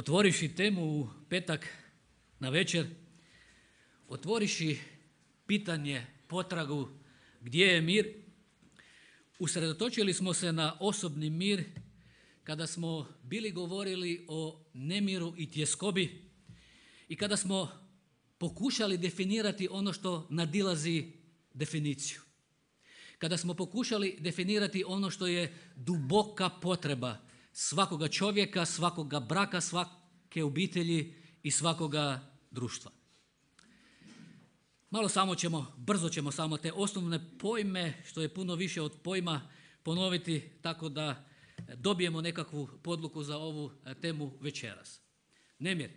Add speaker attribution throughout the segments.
Speaker 1: Otvoriši temu u petak na večer, otvoriši pitanje, potragu gdje je mir, usredotočili smo se na osobni mir kada smo bili govorili o nemiru i tjeskobi i kada smo pokušali definirati ono što nadilazi definiciju. Kada smo pokušali definirati ono što je duboka potreba svakoga čovjeka, svakoga braka, svake obitelji i svakoga društva. Brzo ćemo samo te osnovne pojme, što je puno više od pojma, ponoviti tako da dobijemo nekakvu podluku za ovu temu večeras. Nemir.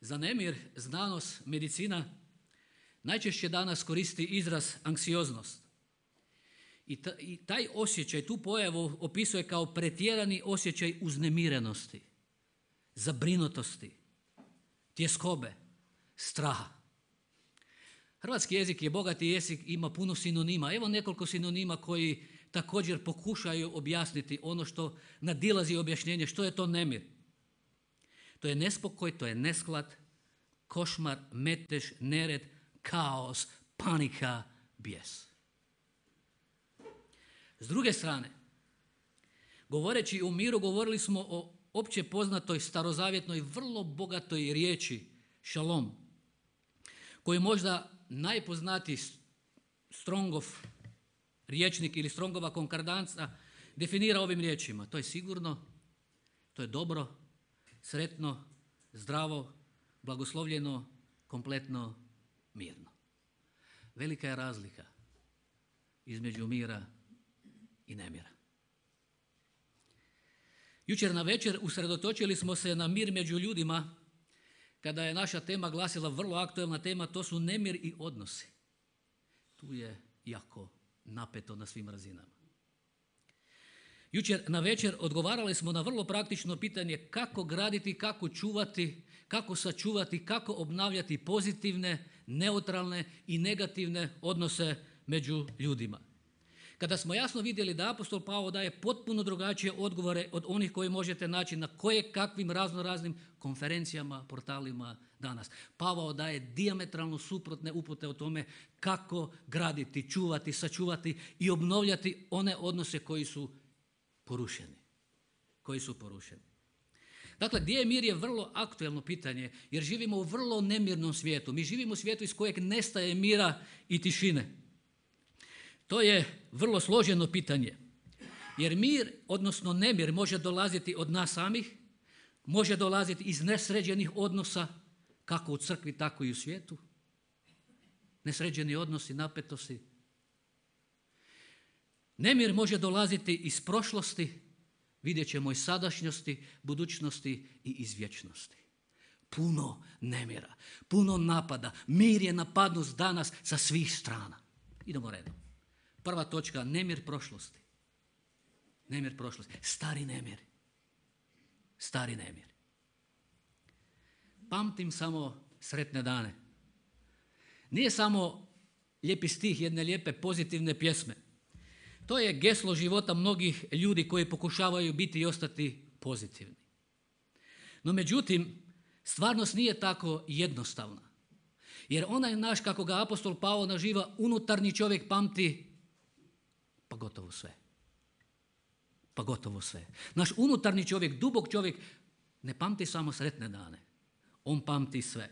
Speaker 1: Za nemir znanost, medicina najčešće danas koristi izraz anksioznost. I taj osjećaj, tu pojavu opisuje kao pretjerani osjećaj uznemirenosti, zabrinutosti, tjeskobe, straha. Hrvatski jezik je bogati jezik, ima puno sinonima. Evo nekoliko sinonima koji također pokušaju objasniti ono što nadilazi objašnjenje. Što je to nemir? To je nespokoj, to je nesklad, košmar, metež, nered, kaos, panika, bijes. S druge strane, govoreći o miru, govorili smo o opće poznatoj starozavjetnoj, vrlo bogatoj riječi šalom, koju možda najpoznatiji Strongov rječnik ili Strongova konkordanca definira ovim riječima. To je sigurno, to je dobro, sretno, zdravo, blagoslovljeno, kompletno, mirno. Velika je razlika između mira i nemira. Jučer na večer usredotočili smo se na mir među ljudima kada je naša tema glasila, vrlo aktuelna tema, to su nemir i odnosi. Tu je jako napeto na svim razinama. Jučer na večer odgovarali smo na vrlo praktično pitanje kako graditi, kako čuvati, kako sačuvati, kako obnavljati pozitivne, neutralne i negativne odnose među ljudima. Kada smo jasno vidjeli da apostol Pavao daje potpuno drugačije odgovore od onih koje možete naći na kakvim raznoraznim konferencijama, portalima danas. Pavao daje dijametralno suprotne upute o tome kako graditi, čuvati, sačuvati i obnovljati one odnose koji su porušeni. Dakle, gdje je mir je vrlo aktuelno pitanje jer živimo u vrlo nemirnom svijetu. Mi živimo u svijetu iz kojeg nestaje mira i tišine. To je vrlo složeno pitanje, jer mir, odnosno nemir, može dolaziti od nas samih, može dolaziti iz nesređenih odnosa, kako u crkvi, tako i u svijetu. Nesređeni odnosi, napetosti. Nemir može dolaziti iz prošlosti, vidjet ćemo iz sadašnjosti, budućnosti i iz vječnosti. Puno nemira, puno napada. Mir je napadnut danas sa svih strana. Idemo redom. Prva točka, nemir prošlosti. Nemir prošlosti. Stari nemir. Pamtim samo sretne dane. Nije samo lijepi stih jedne lijepe pozitivne pjesme. To je geslo života mnogih ljudi koji pokušavaju biti i ostati pozitivni. No međutim, stvarnost nije tako jednostavna. Jer onaj naš, kako ga apostol Pavao naziva, unutarnji čovjek pamti pa gotovo sve. Naš unutarnji čovjek, dubok čovjek, ne pamti samo sretne dane. On pamti sve.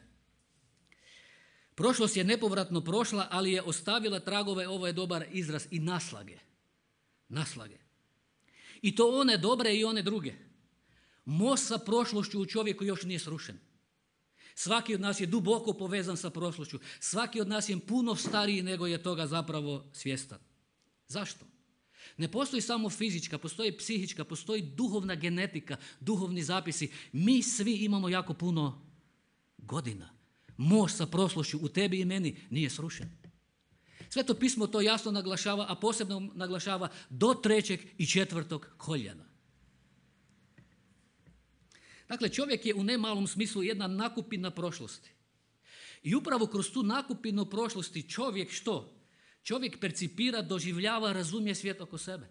Speaker 1: Prošlost je nepovratno prošla, ali je ostavila tragove, ovo je dobar izraz, i naslage. I to one dobre i one druge. Most sa prošlošću u čovjeku još nije srušen. Svaki od nas je duboko povezan sa prošlošću. Svaki od nas je puno stariji nego je toga zapravo svjestan. Zašto? Ne postoji samo fizička, postoji psihička, postoji duhovna genetika, duhovni zapisi. Mi svi imamo jako puno godina. Most sa prošlošću u tebi i meni nije srušen. Sveto pismo to jasno naglašava, a posebno naglašava do 3. i 4. koljena. Dakle, čovjek je u nemalom smislu jedna nakupina prošlosti. I upravo kroz tu nakupinu prošlosti čovjek što? Čovjek percipira, doživljava, razumije svijet oko sebe.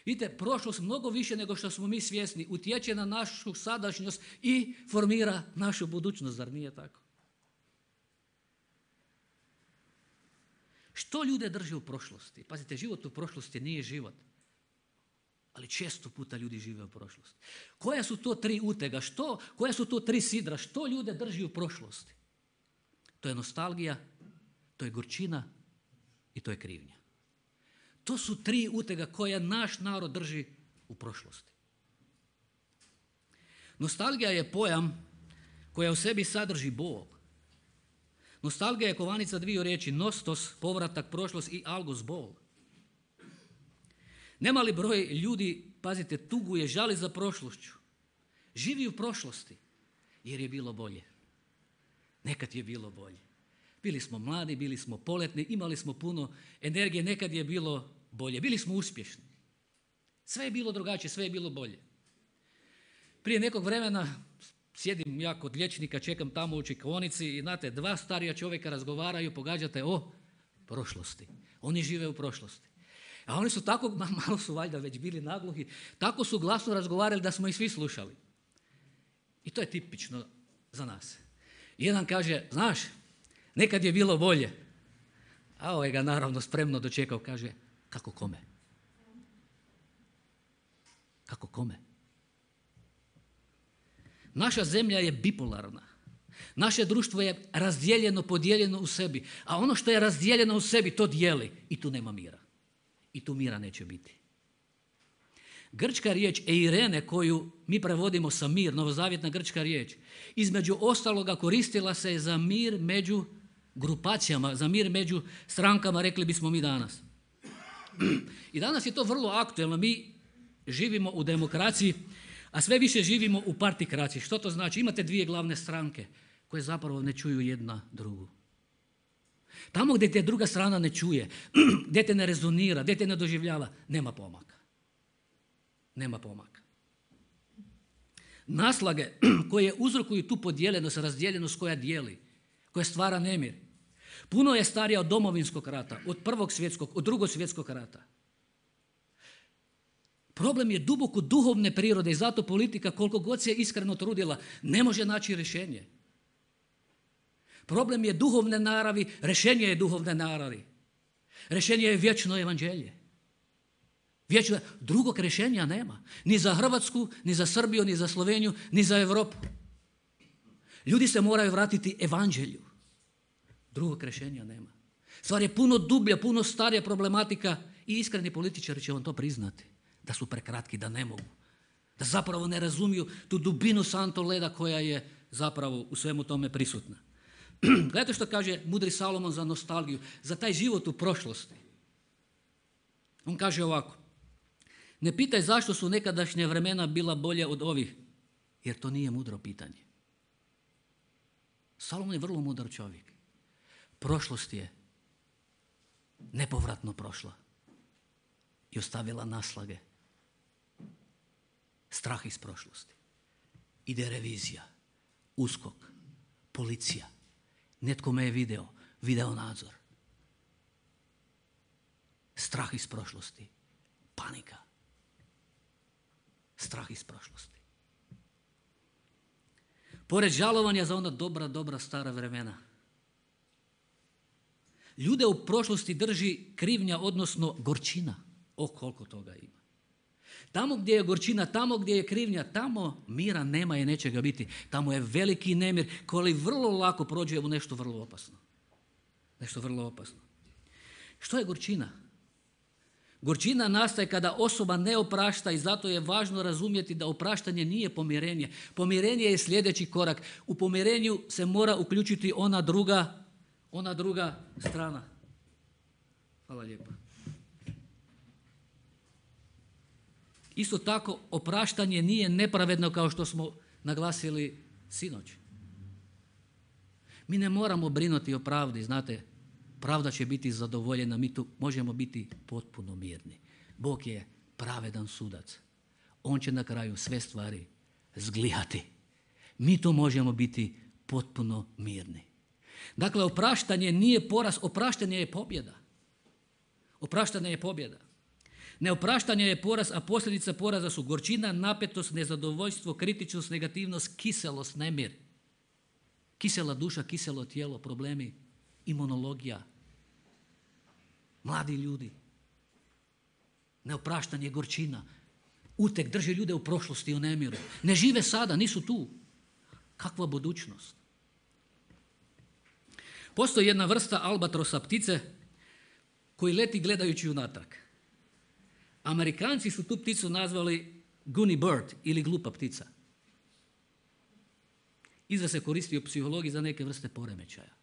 Speaker 1: Vidite, prošlost mnogo više nego što smo mi svjesni utječe na našu sadašnjost i formira našu budućnost, zar nije tako? Što ljude drži u prošlosti? Pazite, život u prošlosti nije život. Ali često puta ljudi žive u prošlosti. Koja su to 3 utega? Koja su to 3 sidra? Što ljude drži u prošlosti? To je nostalgija, to je gorčina i to je krivnja. To su 3 utega koje naš narod drži u prošlosti. Nostalgija je pojam koja u sebi sadrži Bog. Nostalgija je kovanica 2 riječi, nostos, povratak, prošlost i algos, bol. Nemali broj ljudi, pazite, tuguje, žali za prošlošću. Živi u prošlosti jer je bilo bolje. Nekad je bilo bolje. Bili smo mladi, bili smo poletni, imali smo puno energije, nekad je bilo bolje. Bili smo uspješni. Sve je bilo drugačije, sve je bilo bolje. Prije nekog vremena sjedim ja kod liječnika, čekam tamo u čekaonici i znate, 2 starija čovjeka razgovaraju, pogađate o prošlosti. Oni žive u prošlosti. A oni su tako, malo su valjda već bili nagluhi, tako su glasno razgovarali da smo ih svi slušali. I to je tipično za nas. Jedan kaže, znaš, nekad je bilo bolje. A ovaj ga naravno spremno dočekao, kaže, kako kome? Kako kome? Naša zemlja je bipolarna. Naše društvo je razdijeljeno, podijeljeno u sebi. A ono što je razdijeljeno u sebi, to dijeli. I tu nema mira. I tu mira neće biti. Grčka riječ eirene, koju mi prevodimo sa mir, novozavjetna grčka riječ, između ostaloga koristila se za mir među grupacijama, za mir među strankama, rekli bismo mi danas. I danas je to vrlo aktuelno. Mi živimo u demokraciji, a sve više živimo u partikraciji. Što to znači? Imate 2 glavne stranke koje zapravo ne čuju jedna drugu. Tamo gdje te druga strana ne čuje, gdje te ne rezonira, gdje te ne doživljava, nema pomaka. Nema pomaka. Naslage koje uzrokuju tu podijeljenost, razdijeljenost koja dijeli, koja stvara nemir, puno je starija od Domovinskog rata, od Prvog svjetskog, od Drugog svjetskog rata. Problem je duboko duhovne prirode i zato politika, koliko god se iskreno trudila, ne može naći rješenje. Problem je duhovne naravi, rješenje je duhovne naravi. Rješenje je vječno evanđelje. Drugog rješenja nema. Ni za Hrvatsku, ni za Srbiju, ni za Sloveniju, ni za Europu. Ljudi se moraju vratiti evanđelju. Drugog rješenja nema. Stvar je puno dublja, puno starija problematika i iskreni političari će vam to priznati. Da su prekratki, da ne mogu. Da zapravo ne razumiju tu dubinu santo leda koja je zapravo u svemu tome prisutna. Gledajte što kaže mudri Salomon za nostalgiju, za taj život u prošlosti. On kaže ovako, ne pitaj zašto su nekadašnje vremena bila bolje od ovih, jer to nije mudro pitanje. Salomon je vrlo mudar čovjek. Prošlost je nepovratno prošla i ostavila naslage. Strah iz prošlosti. Ide revizija, USKOK, policija. Netko me je video nadzor. Strah iz prošlosti, panika. Strah iz prošlosti. Pored žalovanja za ona dobra stara vremena. Ljude u prošlosti drži krivnja, odnosno gorčina. Koliko toga ima. Tamo gdje je gorčina, tamo gdje je krivnja, tamo mira nema i neće ga biti. Tamo je veliki nemir koji vrlo lako prođe u nešto vrlo opasno. Nešto vrlo opasno. Što je gorčina? Gorčina nastaje kada osoba ne oprašta i zato je važno razumjeti da opraštanje nije pomirenje. Pomirenje je sljedeći korak. U pomirenju se mora uključiti ona druga strana. Hvala lijepa. Isto tako, opraštanje nije nepravedno kao što smo naglasili sinoć. Mi ne moramo brinuti o pravdi, znate, pravda će biti zadovoljena, mi tu možemo biti potpuno mirni. Bog je pravedan sudac. On će na kraju sve stvari zglijati. Mi tu možemo biti potpuno mirni. Dakle, opraštanje nije poraz, opraštanje je pobjeda. Opraštanje je pobjeda. Neopraštanje je poraz, a posljedica poraza su gorčina, napetost, nezadovoljstvo, kritičnost, negativnost, kiselost, nemir. Kisela duša, kiselo tijelo, problemi, imunologija, mladi ljudi. Neopraštanje, gorčina, uteg drži ljude u prošlosti, u nemiru. Ne žive sada, nisu tu. Kakva budućnost? Postoji jedna vrsta albatrosa ptice koji leti gledajući unatrag. Amerikanci su tu pticu nazvali goony bird ili glupa ptica. Izraz se koristi u psihologiji za neke vrste poremećaja.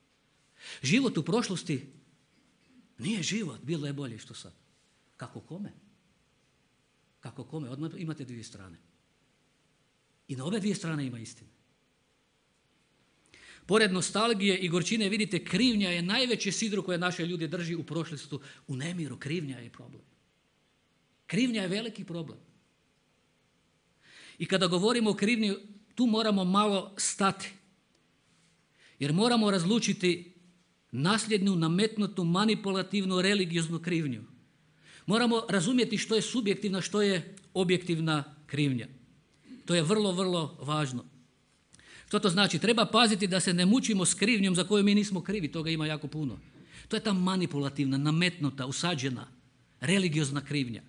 Speaker 1: Život u prošlosti nije život, bilo je bolje što sad. Kako kome? Kako kome? Odmah imate dvije strane. I na obe dvije strane ima istine. Pored nostalgije i gorčine, vidite, krivnja je najveće sidro koje naše ljude drži u prošlosti, u nemiru. Krivnja je problem. Krivnja je veliki problem. I kada govorimo o krivnji, tu moramo malo stati. Jer moramo razlučiti nasljednu, nametnutu, manipulativnu, religioznu krivnju. Moramo razumjeti što je subjektivna, što je objektivna krivnja. To je vrlo, vrlo važno. Što to znači? Treba paziti da se ne mučimo s krivnjom za koju mi nismo krivi, toga ima jako puno. To je ta manipulativna, nametnuta, usađena, religiozna krivnja.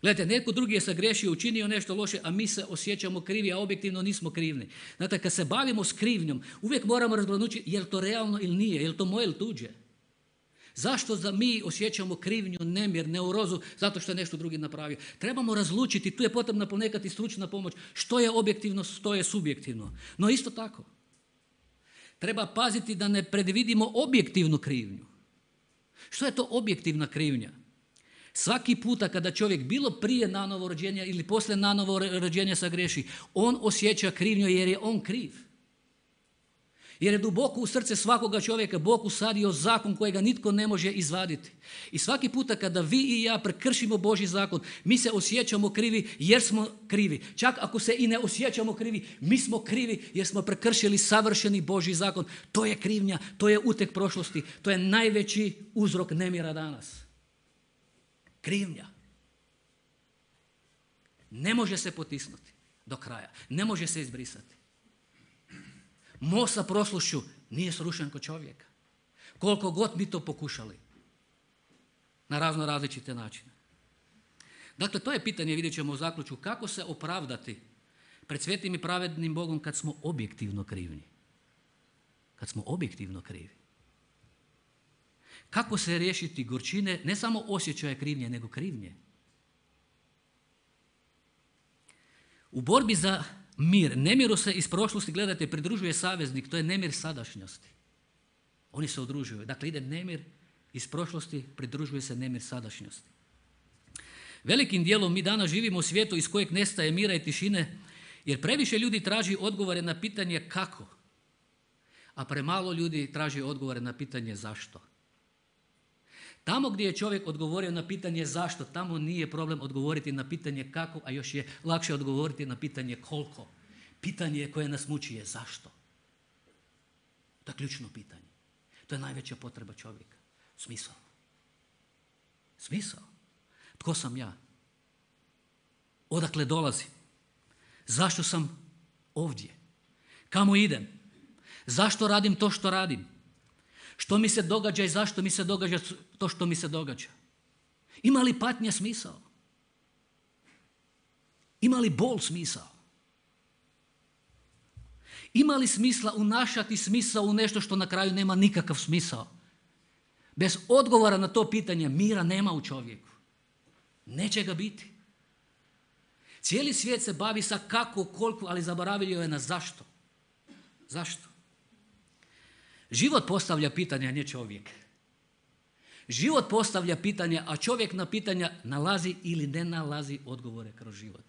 Speaker 1: Gledajte, netko drugi je sagriješio, učinio nešto loše, a mi se osjećamo krivi, a objektivno nismo krivni. Znate, kad se bavimo s krivnjom, uvijek moramo razgraničiti je li to realno ili nije, je li to moje ili tuđe. Zašto mi osjećamo krivnju, nemir, neurozu, zato što je nešto drugi napravio? Trebamo razlučiti, tu je potrebna ponekad i stručna pomoć, što je objektivno, što je subjektivno. No isto tako, treba paziti da ne predvidimo objektivnu krivnju. Što je to objektivna krivnja? Svaki puta kada čovjek bilo prije nanovo rođenja ili poslije nanovo rođenja sagriješi, on osjeća krivnju jer je on kriv. Jer je duboko u srce svakoga čovjeka Bog usadio zakon kojega nitko ne može izvaditi. I svaki puta kada vi i ja prekršimo Božji zakon, mi se osjećamo krivi jer smo krivi. Čak ako se i ne osjećamo krivi, mi smo krivi jer smo prekršili savršeni Božji zakon. To je krivnja, to je uteg prošlosti, to je najveći uzrok nemira danas. Krivnja. Ne može se potisnuti do kraja, ne može se izbrisati. Most sa prošlošću nije srušen kod čovjeka. Koliko god mi to pokušali. Na različite načine. Dakle, to je pitanje, vidjet ćemo u zaključku, kako se opravdati pred svetim i pravednim Bogom kad smo objektivno krivni. Kad smo objektivno krivi. Kako se riješiti gorčine, ne samo osjećaja krivnje, nego krivnje. U borbi za mir, nemiru se iz prošlosti, gledajte, pridružuje saveznik, to je nemir sadašnjosti. Oni se udružuju. Dakle, ide nemir iz prošlosti, pridružuje se nemir sadašnjosti. Velikim dijelom mi danas živimo u svijetu iz kojeg nestaje mira i tišine, jer previše ljudi traži odgovore na pitanje kako, a premalo ljudi traži odgovore na pitanje zašto. Tamo gdje je čovjek odgovorio na pitanje zašto, tamo nije problem odgovoriti na pitanje kako, a još je lakše odgovoriti na pitanje koliko. Pitanje koje nas muči je zašto. To je ključno pitanje. To je najveća potreba čovjeka. Smisao. Smisao. Tko sam ja? Odakle dolazim? Zašto sam ovdje? Kamo idem? Zašto radim to što radim? Što mi se događa i zašto mi se događa to što mi se događa? Ima li patnja smisao? Ima li bol smisao? Ima li smisla unašati smisao u nešto što na kraju nema nikakav smisao? Bez odgovora na to pitanje mira nema u čovjeku. Neće ga biti. Cijeli svijet se bavi sa kako, koliko, ali zaboravio je na zašto. Zašto? Život postavlja pitanja, a ne čovjek. Život postavlja pitanja, a čovjek na pitanja nalazi ili ne nalazi odgovore kroz život.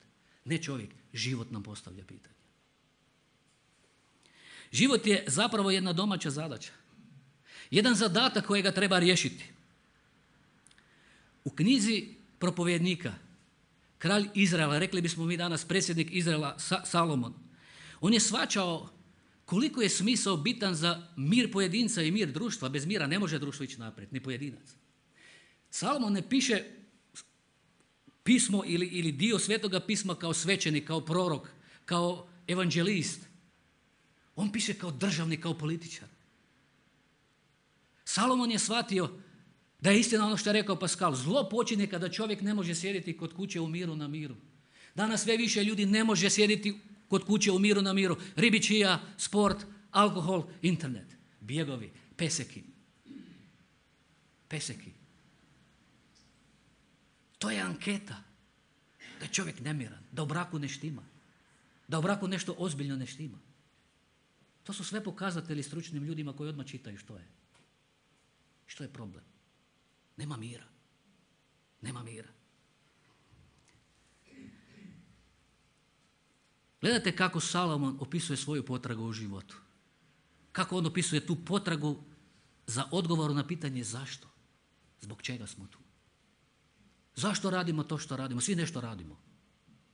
Speaker 1: Ne čovjek, život nam postavlja pitanja. Život je zapravo jedna domaća zadaća. Jedan zadatak kojega treba riješiti. U knjizi Propovjednika, kralj Izraela, rekli bismo mi danas predsjednik Izraela Salomon, on je shvaćao koliko je smisao bitan za mir pojedinca i mir društva. Bez mira ne može društvo ići naprijed, ni pojedinac. Salomon ne piše pismo ili dio Svetoga pisma kao svećenik, kao prorok, kao evanđelist. On piše kao državnik, kao političar. Salomon je shvatio da je istina ono što je rekao Pascal. Zlo počinje kada čovjek ne može sjediti kod kuće u miru na miru. Danas sve više ljudi ne može sjediti kod kuće u miru na miru. Ribičija, sport, alkohol, internet, bjegovi, peseki. Peseki. To je anketa. Da je čovjek nemiran, da u braku ne štima, da u braku nešto ozbiljno ne štima. To su sve pokazatelji stručnim ljudima koji odmah čitaju što je. Što je problem? Nema mira. Nema mira. Gledajte kako Salomon opisuje svoju potragu u životu. Kako on opisuje tu potragu za odgovor na pitanje zašto. Zbog čega smo tu? Zašto radimo to što radimo? Svi nešto radimo.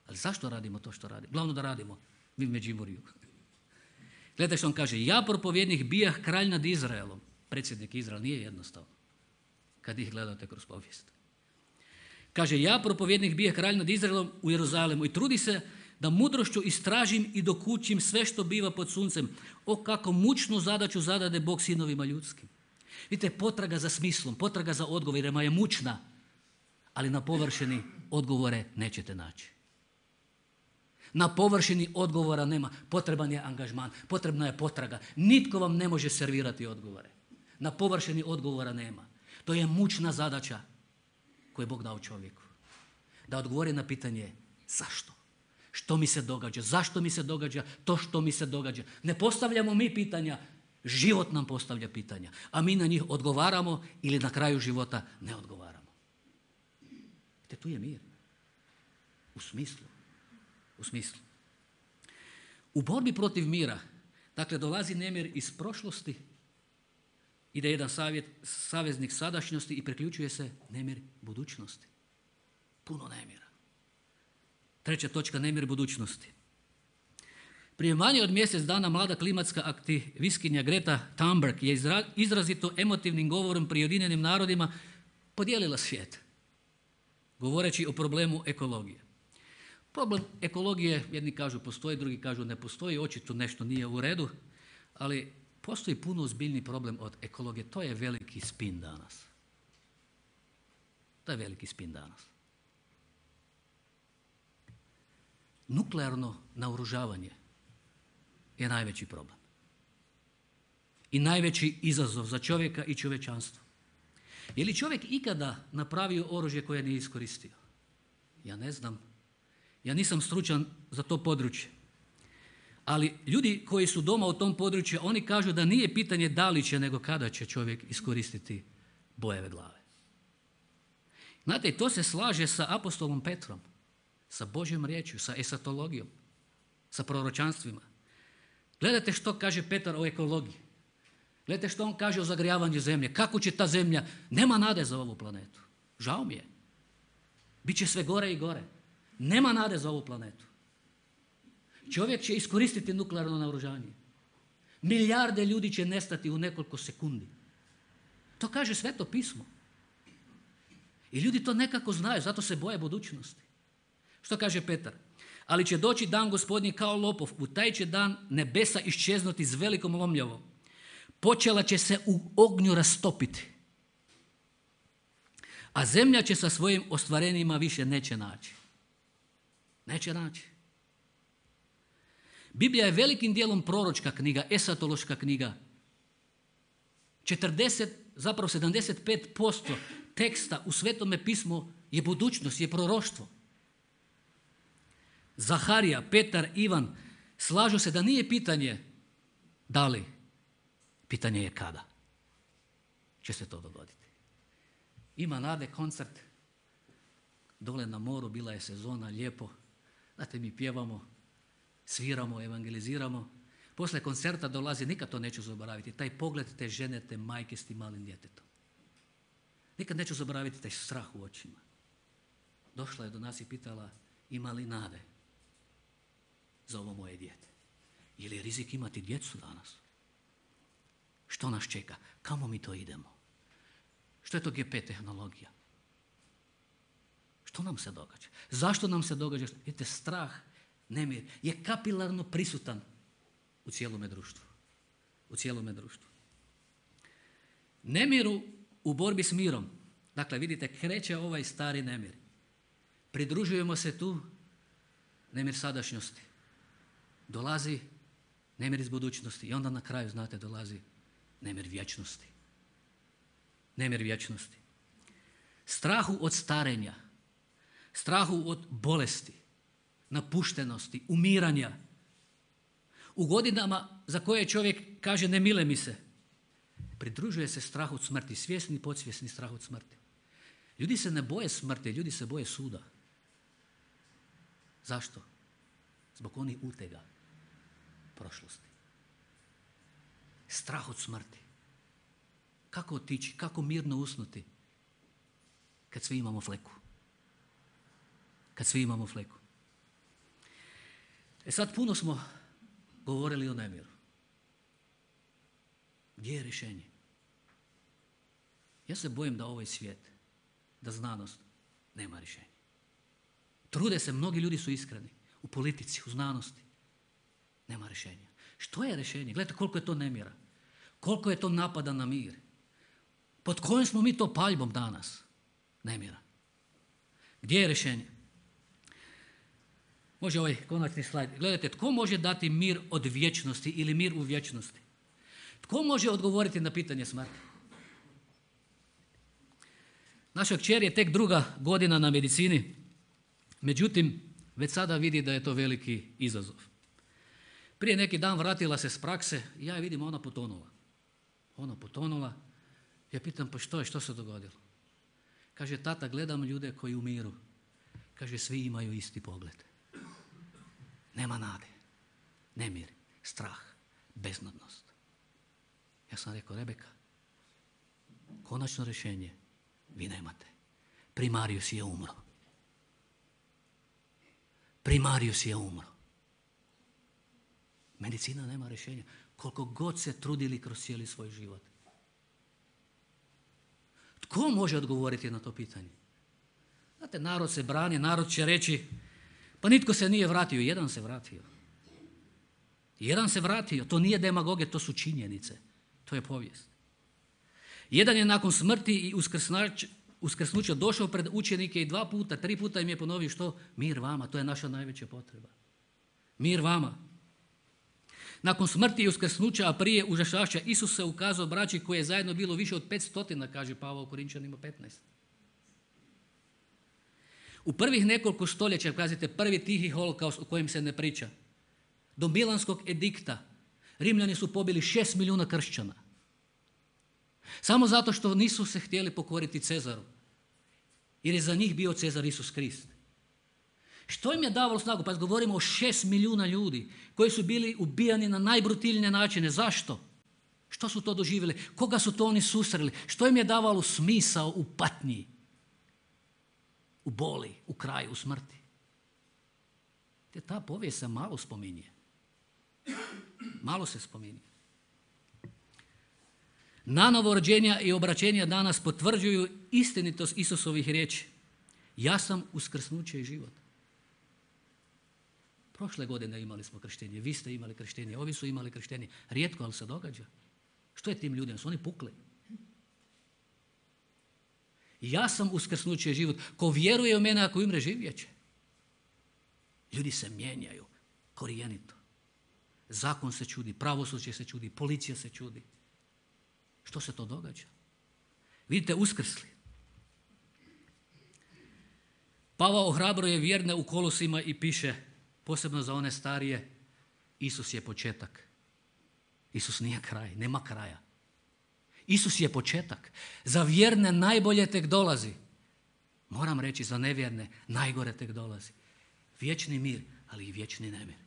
Speaker 1: Ali zašto radimo to što radimo? Glavno da radimo. Mi u Međimurju. Gledajte što on kaže. Ja propovjednik bijah kralj nad Izraelom. Predsjednik Izrael nije jednostavno. Kad ih gledate kroz povijest. Kaže, ja propovjednik bijah kralj nad Izraelom u Jeruzalemu i trudi se da mudrošću istražim i dokučim sve što biva pod suncem. O kako mučnu zadaću zadade Bog sinovima ljudskim. Vidite, potraga za smislom, potraga za odgovorima je mučna, ali na površini odgovore nećete naći. Na površini odgovora nema. Potreban je angažman, potrebna je potraga. Nitko vam ne može servirati odgovore. Na površini odgovora nema. To je mučna zadaća koju je Bog dao čovjeku. Da odgovori na pitanje zašto? Što mi se događa? Zašto mi se događa to što mi se događa? Ne postavljamo mi pitanja, život nam postavlja pitanja, a mi na njih odgovaramo ili na kraju života ne odgovaramo. Te tu je mir. U smislu. U borbi protiv mira, dakle, dolazi nemir iz prošlosti, ide jedan saveznik sadašnjosti i priključuje se nemir budućnosti. Puno nemira. Treća točka, nemir budućnosti. Prije manje od mjesec dana mlada klimatska aktivistkinja Greta Thunberg je izrazito emotivnim govorom pri Ujedinjenim narodima podijelila svijet, govoreći o problemu ekologije. Problem ekologije, jedni kažu postoji, drugi kažu ne postoji, očito nešto nije u redu, ali postoji puno ozbiljniji problem od ekologije. To je veliki spin danas. Nuklearno naoružavanje je najveći problem. I najveći izazov za čovjeka i čovječanstvo. Je li čovjek ikada napravio oružje koje nije iskoristio? Ja ne znam. Ja nisam stručan za to područje. Ali ljudi koji su doma u tom području, oni kažu da nije pitanje da li će, nego kada će čovjek iskoristiti bojeve glave. Znate, to se slaže sa apostolom Petrom, sa Božjom riječju, sa esatologijom, sa proročanstvima. Gledajte što kaže Petar o ekologiji. Gledajte što on kaže o zagrijavanju zemlje. Kako će ta zemlja? Nema nade za ovu planetu. Žao mi je. Biće sve gore i gore. Nema nade za ovu planetu. Čovjek će iskoristiti nuklearno naoružanje. Milijarde ljudi će nestati u nekoliko sekundi. To kaže Sveto pismo. I ljudi to nekako znaju, zato se boje budućnosti. Što kaže Petar? Ali će doći dan Gospodnji kao lopov, u taj će dan nebesa iščeznuti s velikom lomljavom. Počela će se u ognju rastopiti. A zemlja će sa svojim ostvarenjima više neće naći. Neće naći. Biblija je velikim dijelom proročka knjiga, esatološka knjiga. 75% teksta u Svetome pismu je budućnost, je proroštvo. Zaharija, Petar, Ivan slažu se da nije pitanje da li, pitanje je kada će se to dogoditi. Ima nade koncert, dole na moru, bila je sezona, lijepo. Znate, mi pjevamo, sviramo, evangeliziramo. Poslije koncerta dolazi, nikad to neću zaboraviti, taj pogled te žene, te majke s tim malim djetetom. Nikad neću zaboraviti taj strah u očima. Došla je do nas i pitala, ima li nade za ovo moje dijete? Je li rizik imati djecu danas? Što nas čeka? Kamo mi to idemo? Što je to GP tehnologija? Što nam se događa? Zašto nam se događa? Vidite, strah, nemir je kapilarno prisutan u cijelome društvu. U cijelome društvu. Nemiru u borbi s mirom. Dakle, vidite, kreće ovaj stari nemir. Pridružujemo se tu nemir sadašnjosti. Dolazi nemir iz budućnosti i onda na kraju, znate, dolazi nemir vječnosti. Nemir vječnosti. Strahu od starenja, strahu od bolesti, napuštenosti, umiranja. U godinama za koje čovjek kaže ne mile mi se, pridružuje se strah od smrti, svjesni i podsvjesni strah od smrti. Ljudi se ne boje smrti, ljudi se boje suda. Zašto? Zbog onih utega prošlosti. Strah od smrti. Kako otići, kako mirno usnuti kad svi imamo fleku? Kad svi imamo fleku. Sad puno smo govorili o nemiru. Gdje je rješenje? Ja se bojim da ovaj svijet, da znanost nema rješenja. Trude se, mnogi ljudi su iskreni. U politici, u znanosti. Nema rješenja. Što je rješenje? Gledajte koliko je to nemira. Koliko je to napada na mir. Pod kojim smo mi to paljbom danas? Nemira. Gdje je rješenje? Može ovaj konačni slajd. Gledajte, tko može dati mir od vječnosti ili mir u vječnosti? Tko može odgovoriti na pitanje smrti? Naša kćer je tek 2. godina na medicini, međutim, već sada vidi da je to veliki izazov. Prije neki dan vratila se s prakse i ja je vidim, ona potonula. Ona potonula. Ja pitam, pa što se dogodilo? Kaže, tata, gledam ljude koji umiru. Kaže, svi imaju isti pogled. Nema nade, nemir, strah, beznadnost. Ja sam rekao, Rebeka, konačno rješenje vi nemate. Primarius je umro. Primarius je umro. Medicina nema rješenja. Koliko god se trudili kroz cijeli svoj život. Tko može odgovoriti na to pitanje? Znate, narod se brani, narod će reći, pa nitko se nije vratio. Jedan se vratio. Jedan se vratio. To nije demagogija, to su činjenice. To je povijest. Jedan je nakon smrti i uskrsnuća došao pred učenike i 2 puta, 3 puta im je ponovio što? Mir vama, to je naša najveća potreba. Mir vama. Nakon smrti i uskrsnuća, a prije užašašća, Isus se ukazao braći koje je zajedno bilo više od 500, kaže Pavao u Korinčanima 15. U prvih nekoliko stoljeća, kazite, prvi tihi holokaust o kojem se ne priča, do Milanskog edikta, Rimljani su pobili 6 milijuna kršćana. Samo zato što nisu se htjeli pokoriti Cezaru. Jer je za njih bio Cezar Isus Krist. Što im je davalo snagu? Pa govorimo o 6 milijuna ljudi koji su bili ubijani na najbrutilnije načine. Zašto? Što su to doživjeli? Koga su to oni susreli? Što im je davalo smisao u patnji? U boli, u kraju, u smrti. Te ta povijest se malo spominje. Malo se spominje. Nanovo rođenja i obraćenja danas potvrđuju istinitost Isusovih riječi. Ja sam uskrsnuće i život. Prošle godine imali smo krštenje, vi ste imali krštenje, ovi su imali krštenje. Rijetko, ali se događa. Što je tim ljudima? Su oni pukli? Ja sam uskrsnuće i život. Ko vjeruje u mene, ako umre, živjet će. Ljudi se mijenjaju korijenito. Zakon se čudi, pravosuđe se čudi, policija se čudi. Što se to događa? Vidite, uskrsli. Pavao ohrabruje vjerne u Kolosima i piše, posebno za one starije, Isus je početak. Isus nije kraj, nema kraja. Isus je početak. Za vjerne najbolje tek dolazi. Moram reći, za nevjerne najgore tek dolazi. Vječni mir, ali i vječni nemir.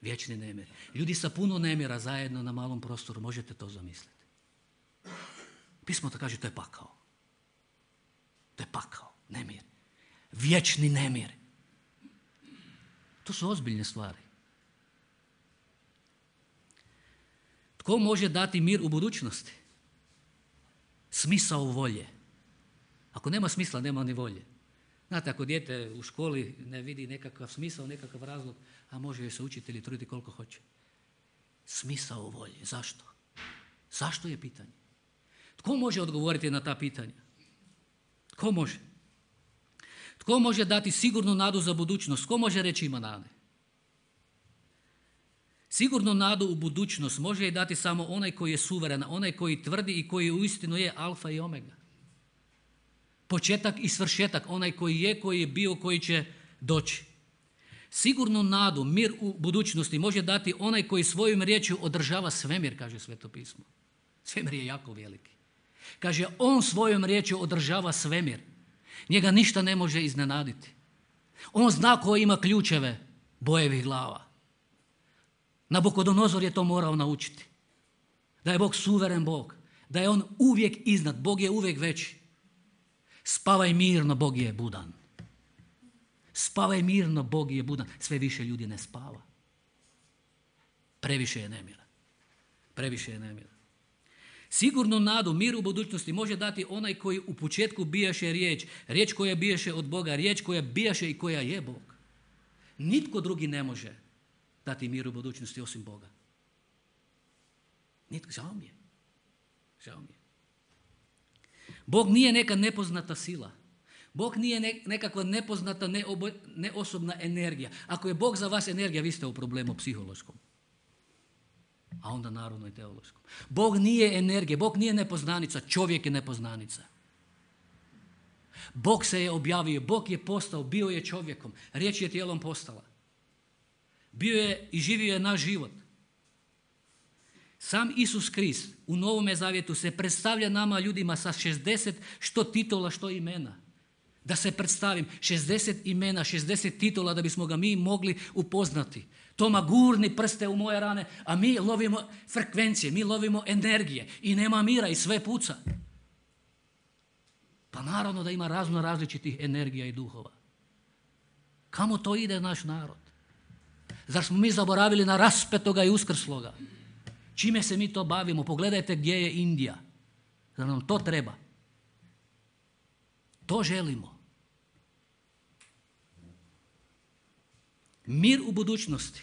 Speaker 1: Vječni nemir. Ljudi sa puno nemira zajedno na malom prostoru, možete to zamisliti. Pismo to kaže, to je pakao. To je pakao, nemir. Vječni nemir. To su ozbiljne stvari. Tko može dati mir u budućnosti? Smisao volje. Ako nema smisla, nema ni volje. Znate, ako dijete u školi ne vidi nekakav smisao, nekakav razlog, a može joj se učitelji truditi koliko hoće. Smisao volje. Zašto? Zašto je pitanje? Tko može odgovoriti na ta pitanja? Tko može? Tko može dati sigurnu nadu za budućnost? Tko može reći ima nade? Sigurnu nadu u budućnost može je dati samo onaj koji je suveren, onaj koji tvrdi i koji uistinu je alfa i omega. Početak i svršetak, onaj koji je bio, koji će doći. Sigurnu nadu, mir u budućnosti može dati onaj koji svojom riječju održava svemir, kaže Sveto pismo. Svemir je jako veliki. Kaže, on svojom riječju održava svemir. Njega ništa ne može iznenaditi. On zna ko ima ključeve bojevih glava. Nabukodonozor je to morao naučiti. Da je Bog suveren Bog. Da je on uvijek iznad. Bog je uvijek veći. Spavaj mirno, Bog je budan. Spavaj mirno, Bog je budan. Sve više ljudi ne spava. Previše je nemira. Previše je nemira. Sigurnu nadu, mir u budućnosti može dati onaj koji u početku bijaše riječ. Riječ koja bijaše od Boga. Riječ koja bijaše i koja je Bog. Nitko drugi ne može dati mir u budućnosti osim Boga. Nitko. Žao mi je. Žao mi je. Bog nije neka nepoznata sila. Bog nije nekakva nepoznata, neosobna energija. Ako je Bog za vas energija, vi ste u problemu psihološkom. A onda naravno i teološkom. Bog nije energija, Bog nije nepoznanica, čovjek je nepoznanica. Bog se je objavio, Bog je postao, bio je čovjekom, riječ je tijelom postala. Bio je i živio je naš život. Sam Isus Krist u Novome Zavjetu se predstavlja nama ljudima sa 60 što titula, što imena. Da se predstavim, 60 imena, 60 titula da bismo ga mi mogli upoznati. Toma, gurni prste u moje rane, a mi lovimo frekvencije, mi lovimo energije i nema mira i sve puca. Pa naravno da ima razno različitih energija i duhova. Kamo to ide naš narod? Zar smo mi zaboravili na raspetoga i uskrsloga? Čime se mi to bavimo? Pogledajte gdje je Indija. Zar nam to treba? To želimo. Mir u budućnosti,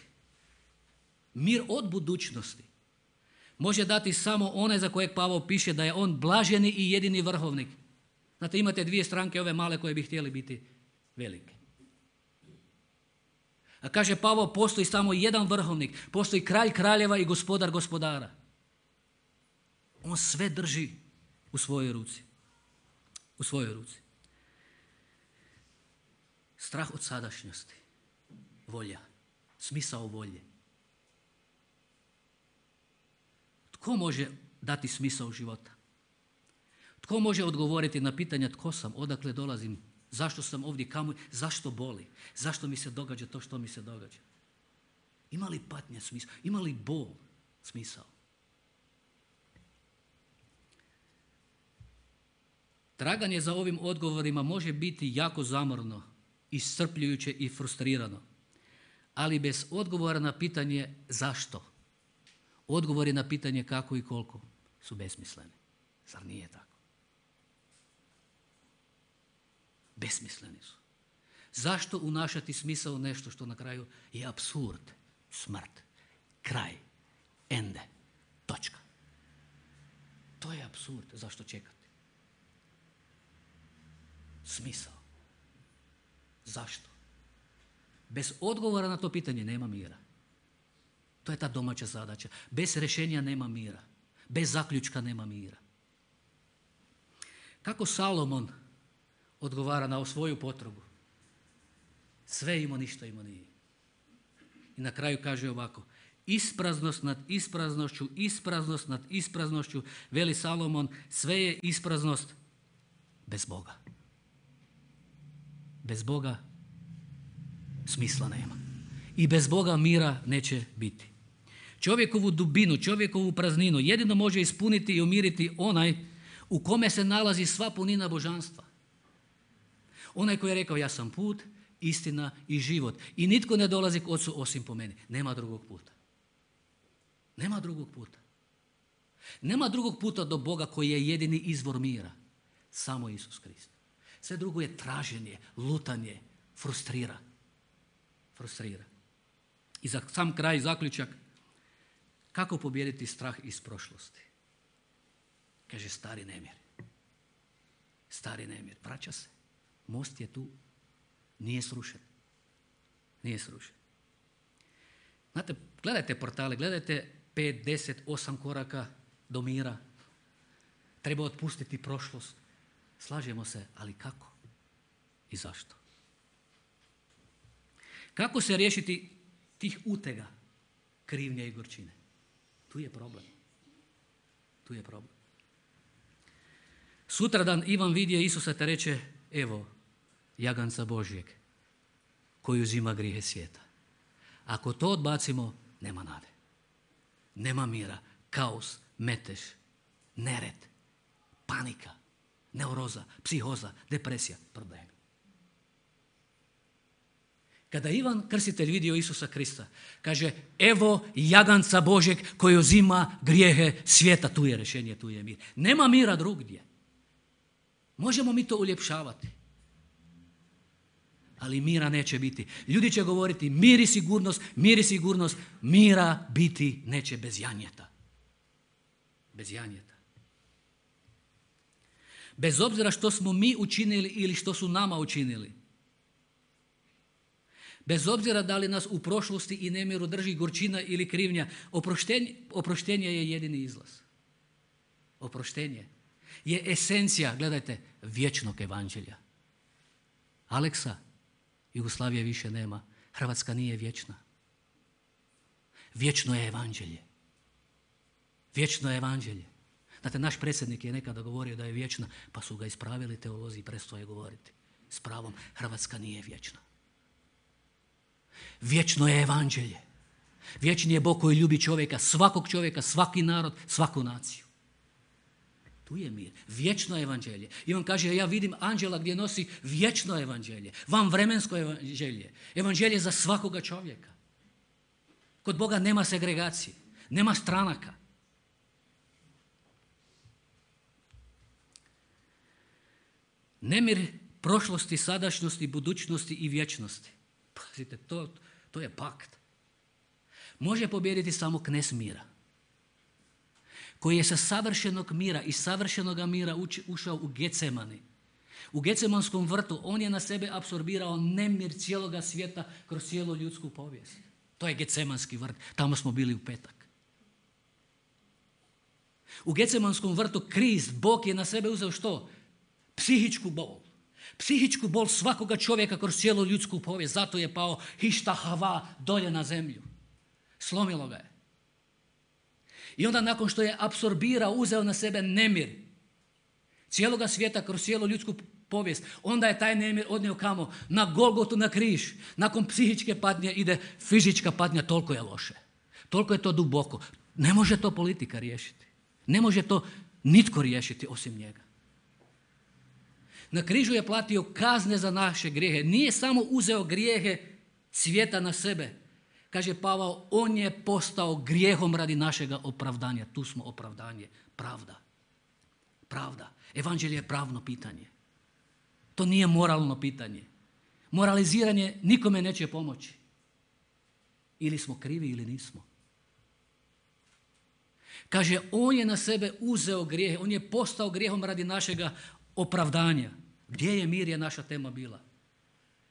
Speaker 1: mir od budućnosti može dati samo onaj za kojeg Pavao piše da je on blaženi i jedini vrhovnik. Znate, imate dvije stranke ove male koje bi htjeli biti velike. A kaže Pavao, postoji samo jedan vrhovnik, postoji kralj kraljeva i gospodar gospodara. On sve drži u svojoj ruci. U svojoj ruci. Strah od sadašnjosti. Volja, smisao volje. Tko može dati smisao života? Tko može odgovoriti na pitanja tko sam, odakle dolazim, zašto sam ovdje, kamo, zašto boli, zašto mi se događa to što mi se događa? Ima li patnja smisao? Ima li bol smisao? Traganje za ovim odgovorima može biti jako zamorno, iscrpljujuće i frustrirano. Ali bez odgovora na pitanje zašto, odgovori na pitanje kako i koliko su besmisleni. Zar nije tako? Besmisleni su. Zašto unašati smisao u nešto što na kraju je apsurd, smrt, kraj, ende, točka. To je apsurd. Zašto čekati? Smisao. Zašto? Bez odgovora na to pitanje nema mira. To je ta domaća zadaća. Bez rješenja nema mira. Bez zaključka nema mira. Kako Salomon odgovara na svoju potrebu? Sve imao, ništa imao nije. I na kraju kaže ovako: ispraznost nad ispraznošću, ispraznost nad ispraznošću, veli Salomon, sve je ispraznost bez Boga. Bez Boga smisla nema. I bez Boga mira neće biti. Čovjekovu dubinu, čovjekovu prazninu jedino može ispuniti i umiriti onaj u kome se nalazi sva punina božanstva. Onaj koji je rekao ja sam put, istina i život. I nitko ne dolazi k Otcu osim po meni. Nema drugog puta. Nema drugog puta. Nema drugog puta do Boga koji je jedini izvor mira. Samo Isus Krist. Sve drugo je traženje, lutanje, frustrira. I za sam kraj zaključak, kako pobijediti strah iz prošlosti? Kaže stari nemir. Vraća se. Most je tu. Nije srušen. Znate, gledajte portale, gledajte 5, 10, 8 koraka do mira. Treba otpustiti prošlost. Slažemo se, ali kako? I zašto? Kako se riješiti tih utega, krivnje i gorčine? Tu je problem. Sutradan Ivan vidio Isusa te reče, evo, jaganca Božjeg, koji uzima grijehe svijeta. Ako to odbacimo, nema nade. Nema mira, kaos, metež, nered, panika, neuroza, psihoza, depresija, problemi. Kada Ivan Krstitelj vidio Isusa Krista, kaže, evo jaganca Božjeg koji uzima grijehe svijeta. Tu je rješenje, tu je mir. Nema mira drugdje. Možemo mi to uljepšavati. Ali mira neće biti. Ljudi će govoriti mir i sigurnost. Mira biti neće bez janjeta. Bez obzira što smo mi učinili ili što su nama učinili. Bez obzira da li nas u prošlosti i nemiru drži gorčina ili krivnja, oproštenje je jedini izlaz. Oproštenje je esencija, gledajte, vječnog evanđelja. Aleksa, Jugoslavije više nema. Hrvatska nije vječna. Vječno je evanđelje. Znate, naš predsjednik je nekada govorio da je vječna, pa su ga ispravili teolozi i prestao je govoriti. S pravom, Hrvatska nije vječna. Vječno je evanđelje. Vječni je Bog koji ljubi čovjeka, svakog čovjeka, svaki narod, svaku naciju. Tu je mir. Vječno evanđelje. I on kaže, ja vidim anđela gdje nosi vječno evanđelje, vanvremensko evanđelje. Evanđelje za svakoga čovjeka. Kod Boga nema segregacije, nema stranaka. Nemir prošlosti, sadašnjosti, budućnosti i vječnosti. Pazite, to je pakt. Može pobijediti samo knez mira, koji je sa savršenog mira i savršenoga mira ušao u Getsemani. U Getsemanskom vrtu on je na sebe apsorbirao nemir cijeloga svijeta kroz cijelu ljudsku povijest. To je Getsemanski vrt, tamo smo bili u petak. U Getsemanskom vrtu Krist, Bog je na sebe uzeo što? Psihičku bol. Psihičku bol svakoga čovjeka kroz cijelu ljudsku povijest. Zato je pao hišta hava dolje na zemlju. Slomilo ga je. I onda nakon što je apsorbirao, uzeo na sebe nemir cijeloga svijeta kroz cijelu ljudsku povijest, onda je taj nemir odnio kamo? Na Golgotu, na križ. Nakon psihičke patnje ide fizička patnja, toliko je loše. Toliko je to duboko. Ne može to politika riješiti. Ne može to nitko riješiti osim njega. Na križu je platio kazne za naše grijehe. Nije samo uzeo grijehe svijeta na sebe. Kaže Pavao, on je postao grijehom radi našega opravdanja. Tu smo opravdanje. Pravda. Evanđelje je pravno pitanje. To nije moralno pitanje. Moraliziranje nikome neće pomoći. Ili smo krivi ili nismo. Kaže, on je na sebe uzeo grijehe. On je postao grijehom radi našega opravdanja. Gdje je mir je naša tema bila.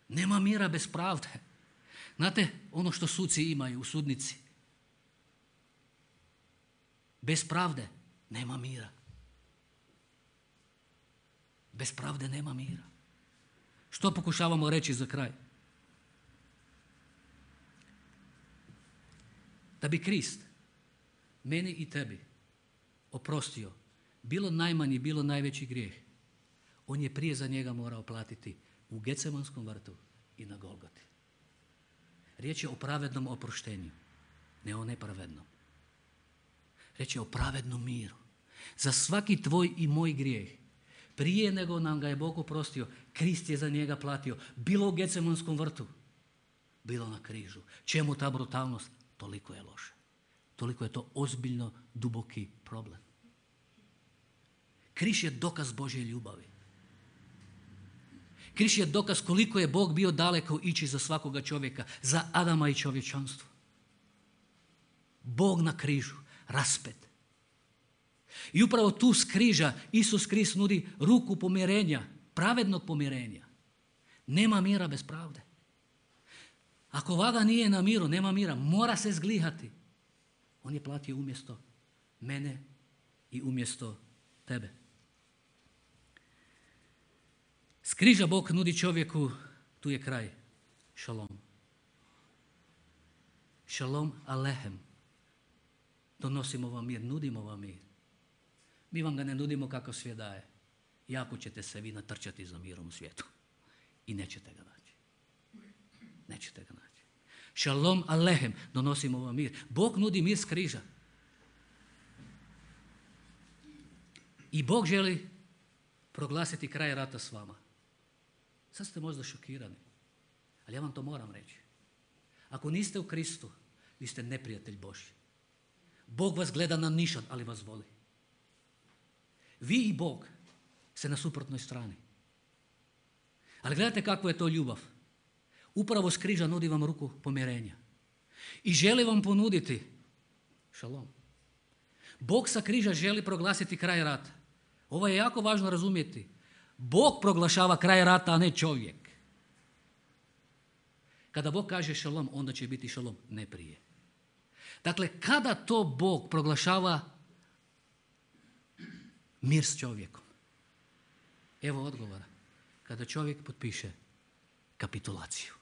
Speaker 1: Nema mira bez pravde. Znate, ono što suci imaju u sudnici. Bez pravde nema mira. Bez pravde nema mira. Što pokušavamo reći za kraj? Da bi Krist meni i tebi oprostio bilo najmanji, bilo najveći grijeh, on je prije za njega morao platiti u Getsemanskom vrtu i na Golgoti. Riječ je o pravednom oproštenju, ne o nepravednom. Riječ je o pravednom miru. Za svaki tvoj i moj grijeh, prije nego nam ga je Bog oprostio, Krist je za njega platio. Bilo u Getsemanskom vrtu, bilo na križu. Čemu ta brutalnost? Toliko je loše. Toliko je to ozbiljno, duboki problem. Križ je dokaz Božje ljubavi. Križ je dokaz koliko je Bog bio daleko ići za svakoga čovjeka, za Adama i čovječanstvo. Bog na križu, raspet. I upravo tu s križa Isus Krist nudi ruku pomirenja, pravednog pomirenja. Nema mira bez pravde. Ako vaga nije na miru, nema mira, mora se zglihati. On je platio umjesto mene i umjesto tebe. S križa Bog nudi čovjeku, tu je kraj, šalom. Šalom alehem. Donosimo vam mir, nudimo vam mir. Mi vam ga ne nudimo kako svijet daje. Jako ćete se vi natrčati za mirom u svijetu. I nećete ga naći. Nećete ga naći. Šalom alehem, donosimo vam mir. Bog nudi mir s križa. I Bog želi proglasiti kraj rata s vama. Sad ste možda šokirani, ali ja vam to moram reći. Ako niste u Kristu, vi ste neprijatelj Božji. Bog vas gleda na nišan, ali vas voli. Vi i Bog ste na suprotnoj strani. Ali gledajte kakva je to ljubav. Upravo s križa nudi vam ruku pomirenja. I želi vam ponuditi šalom. Bog sa križa želi proglasiti kraj rata. Ovo je jako važno razumjeti. Bog proglašava kraj rata, a ne čovjek. Kada Bog kaže šalom, onda će biti šalom, ne prije. Dakle, kada to Bog proglašava mir s čovjekom? Evo odgovora. Kada čovjek potpiše kapitulaciju.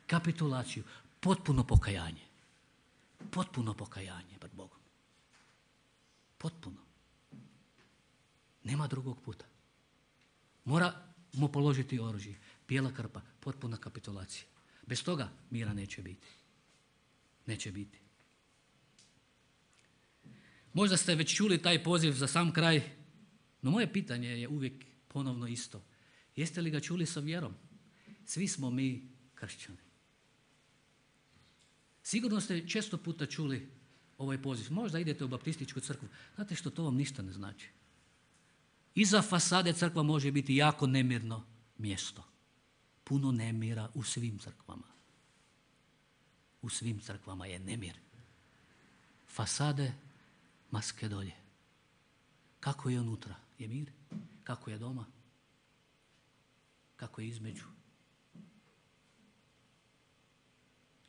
Speaker 1: Kapitulaciju, potpuno pokajanje. Potpuno pokajanje pred Bogom. Potpuno. Nema drugog puta. Moramo položiti oružje. Bijela krpa, potpuna kapitulacija. Bez toga mira neće biti. Neće biti. Možda ste već čuli taj poziv za sam kraj, no moje pitanje je uvijek ponovno isto. Jeste li ga čuli sa vjerom? Svi smo mi kršćani. Sigurno ste često puta čuli ovaj poziv. Možda idete u baptističku crkvu. Znate što, to vam ništa ne znači. Iza fasade crkva može biti jako nemirno mjesto. Puno nemira u svim crkvama. U svim crkvama je nemir. Fasade, maske dolje. Kako je unutra? Je mir? Kako je doma? Kako je između?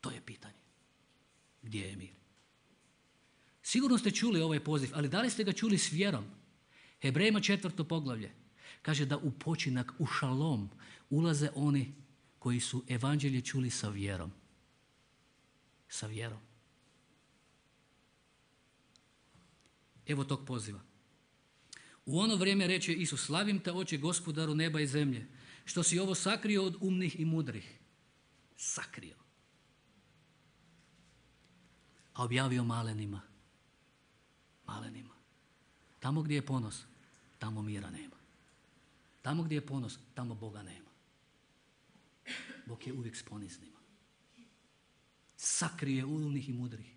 Speaker 1: To je pitanje. Gdje je mir? Sigurno ste čuli ovaj poziv, ali da li ste ga čuli s vjerom? Hebrejima 4. poglavlje kaže da u počinak, u šalom ulaze oni koji su evanđelje čuli sa vjerom. Sa vjerom. Evo tog poziva. U ono vrijeme reče Isus, slavim te oče gospodaru neba i zemlje, što si ovo sakrio od umnih i mudrih. Sakrio. A objavio malenima. Malenima. Tamo gdje je ponos, tamo mira nema. Tamo gdje je ponos, tamo Boga nema. Bog je uvijek s poniznima. Sakrije umnih i mudrih.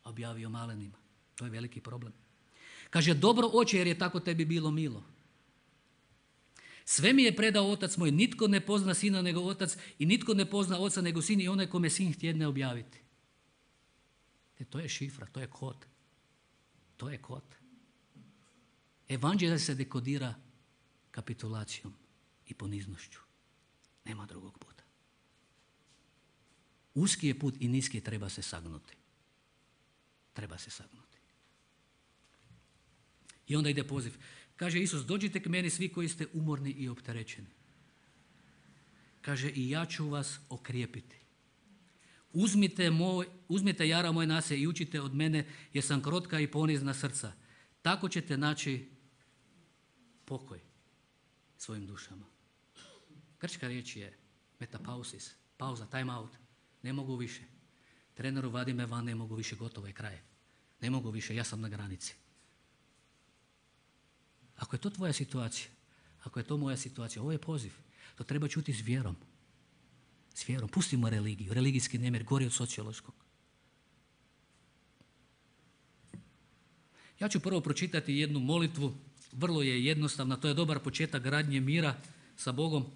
Speaker 1: Objavio malenima. To je veliki problem. Kaže, dobro oče, jer je tako tebi bilo milo. Sve mi je predao otac moj, nitko ne pozna sina nego otac i nitko ne pozna oca nego sin i onaj kome sin htjedne objaviti. To je šifra, to je kod. To je kod. Evanđelje se dekodira kapitulacijom i poniznošću. Nema drugog puta. Uski je put i niski treba se sagnuti. Treba se sagnuti. I onda ide poziv. Kaže Isus, dođite k meni svi koji ste umorni i opterećeni. Kaže, i ja ću vas okrijepiti. Uzmite jara moj na se i učite od mene, jer sam krotka i ponizna srca. Tako ćete naći pokoj svojim dušama. Grčka riječ je metapausis, pauza, time out. Ne mogu više. Treneru, vadi me van, ne mogu više, gotovo je kraj. Ne mogu više, ja sam na granici. Ako je to tvoja situacija, ako je to moja situacija, ovo je poziv. To treba čuti s vjerom. S vjerom. Pustimo religiju. Religijski nemir gori od sociološkog. Ja ću prvo pročitati jednu molitvu Vrlo je jednostavna, to je dobar početak gradnje mira sa Bogom.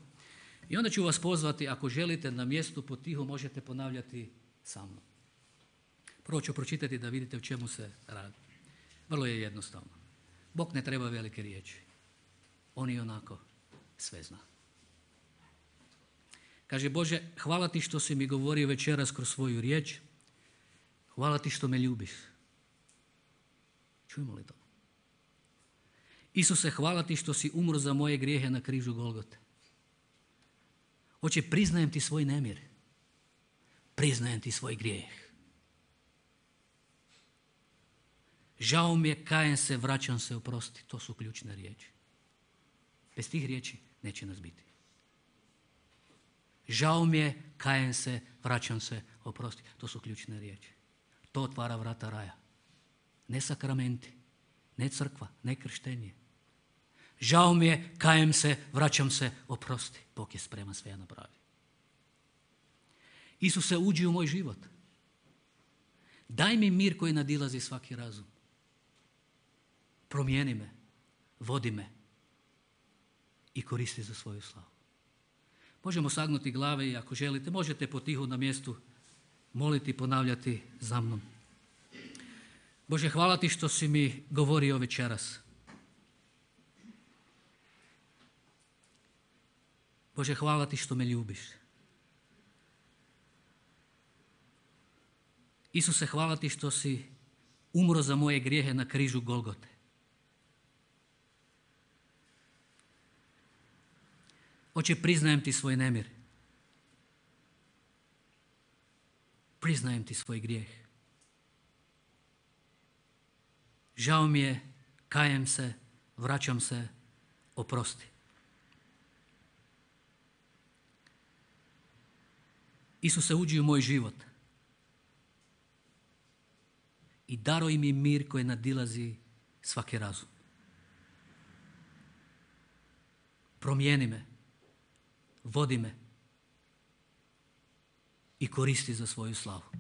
Speaker 1: I onda ću vas pozvati, ako želite, na mjestu potiho možete ponavljati sa mnom. Prvo ću pročitati da vidite o čemu se radi. Vrlo je jednostavno. Bog ne treba velike riječi. On i onako sve zna. Kaže, Bože, hvala ti što si mi govorio večeras kroz svoju riječ. Hvala ti što me ljubiš. Čujemo li to? Isuse, hvala ti što si umro za moje grijehe na križu Golgote. Oče, priznajem ti svoj nemir. Priznajem ti svoj grijeh. Žao mi je, kajem se, vraćam se, oprosti. To su ključne riječi. Bez tih riječi neće nas biti. Žao mi je, kajem se, vraćam se, oprosti. To su ključne riječi. To otvara vrata raja. Ne sakramenti, ne crkva, ne krštenje. Žao mi je, kajem se, vraćam se, oprosti. Bog je spreman sve napraviti. Isuse, uđi u moj život. Daj mi mir koji nadilazi svaki razum. Promijeni me, vodi me i koristi za svoju slavu. Možemo sagnuti glave i ako želite, možete potiho na mjestu moliti i ponavljati za mnom. Bože, hvala ti što si mi govorio večeras. Bože, hvala ti što me ljubiš. Isuse, hvala ti što si umro za moje grijehe na križu Golgote. Oče, priznajem ti svoj nemir. Priznajem ti svoj grijeh. Žao mi je, kajem se, vraćam se, oprosti. Isuse, uđi u moj život i daruj mi mir koji nadilazi svaki razum. Promijeni me, vodi me i koristi za svoju slavu.